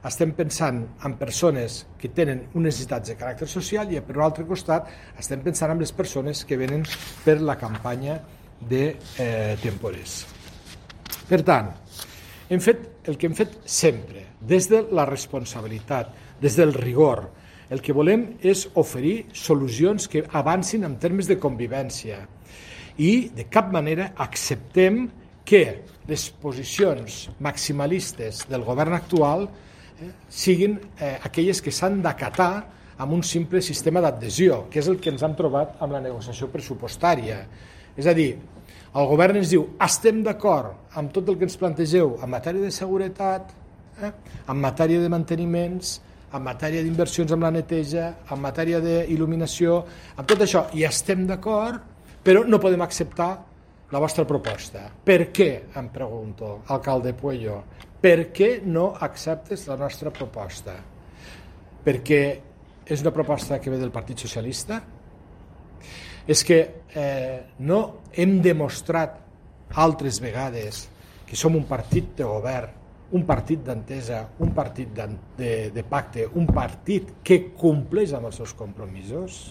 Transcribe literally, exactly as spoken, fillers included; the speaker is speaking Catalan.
estem pensant en persones que tenen unes necessitats de caràcter social i per un altre costat estem pensant en les persones que venen per la campanya de eh, temporers. Per tant, hem fet el que hem fet sempre, des de la responsabilitat, des del rigor. El que volem és oferir solucions que avancin en termes de convivència i de cap manera acceptem que les posicions maximalistes del govern actual eh, siguin eh, aquelles que s'han d'acatar amb un simple sistema d'adhesió, que és el que ens hem trobat amb la negociació pressupostària. És a dir, el govern ens diu estem d'acord amb tot el que ens plantegeu en matèria de seguretat, eh, en matèria de manteniments, en matèria d'inversions amb la neteja, en matèria d'il·luminació, amb tot això, i estem d'acord, però no podem acceptar la vostra proposta. Per què, em pregunto, alcalde Puello, per què no acceptes la nostra proposta? Perquè és una proposta que ve del Partit Socialista? És que eh, no hem demostrat altres vegades que som un partit de govern, un partit d'entesa, un partit de, de pacte, un partit que compleix amb els seus compromisos?